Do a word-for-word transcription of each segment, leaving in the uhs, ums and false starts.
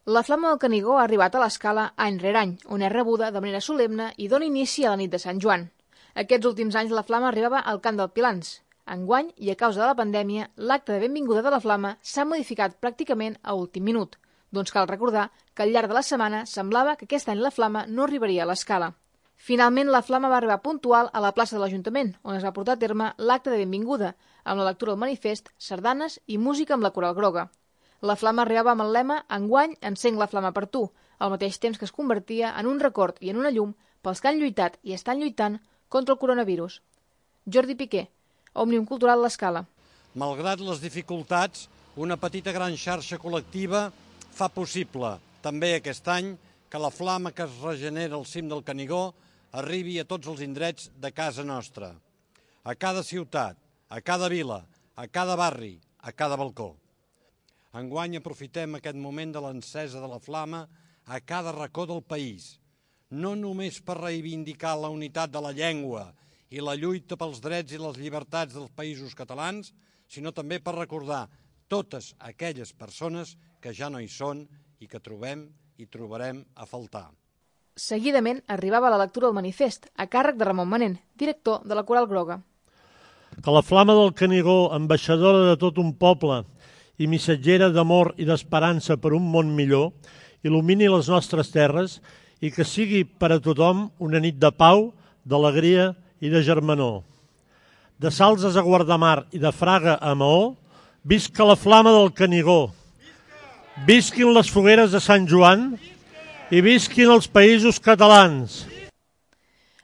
La Flama del Canigó ha arribat a l'Escala any rere any, on és rebuda de manera solemne i dona inici a la nit de Sant Joan. Aquests últims anys la Flama arribava al Camp del Pilans. Enguany, i a causa de la pandèmia, l'acte de benvinguda de la Flama s'ha modificat pràcticament a últim minut. Doncs cal recordar que al llarg de la setmana semblava que aquest any la Flama no arribaria a l'Escala. Finalment, la Flama va arribar puntual a la plaça de l'Ajuntament, on es va portar a terme l'acte de benvinguda, amb la lectura del manifest, sardanes i música amb la coral groga. La Flama arribava amb el lema «Enguany encenc la Flama per tu», al mateix temps que es convertia en un record i en una llum pels que han lluitat i estan lluitant contra el coronavirus. Jordi Piqué, Òmnium Cultural l'Escala. Malgrat les dificultats, una petita gran xarxa col·lectiva fa possible, també aquest any, que la flama que es regenera al cim del Canigó arribi a tots els indrets de casa nostra, a cada ciutat, a cada vila, a cada barri, a cada balcó. Enguany aprofitem aquest moment de l'encesa de la flama a cada racó del país, no només per reivindicar la unitat de la llengua i la lluita pels drets i les llibertats dels països catalans, sinó també per recordar totes aquelles persones que ja no hi són i que trobem i trobarem a faltar. Seguidament arribava la lectura del manifest, a càrrec de Ramon Manent, director de la Coral Groga. Que la flama del Canigó, ambaixadora de tot un poble i missatgera d'amor i d'esperança per un món millor, il·lumini les nostres terres i que sigui per a tothom una nit de pau, d'alegria i de germanor. De Salses a Guardamar i de Fraga a Maó, visca la flama del Canigó, visquin les fogueres de Sant Joan i visquin els països catalans.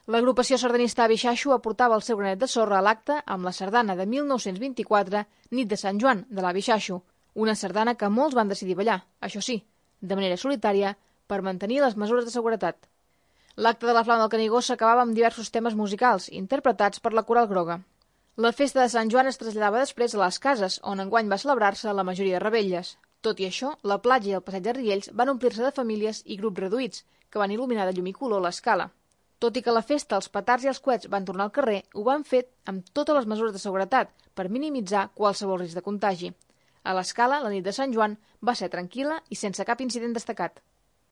L'agrupació sardanista Abixaixo aportava el seu granet de sorra a l'acte amb la sardana de mil nou-cents vint-i-quatre, Nit de Sant Joan, de l'Abixaixo, una sardana que molts van decidir ballar, això sí, de manera solitària, per mantenir les mesures de seguretat. L'acte de la Flama del Canigó s'acabava amb diversos temes musicals, interpretats per la Coral Groga. La festa de Sant Joan es traslladava després a les cases, on enguany va celebrar-se la majoria de revetlles. Tot i això, la platja i el passeig de Riells van omplir-se de famílies i grups reduïts, que van il·luminar de llum i color l'Escala. Tot i que a la festa els petards i els coets van tornar al carrer, ho van fer amb totes les mesures de seguretat per minimitzar qualsevol risc de contagi. A l'Escala, la nit de Sant Joan va ser tranquil·la i sense cap incident destacat.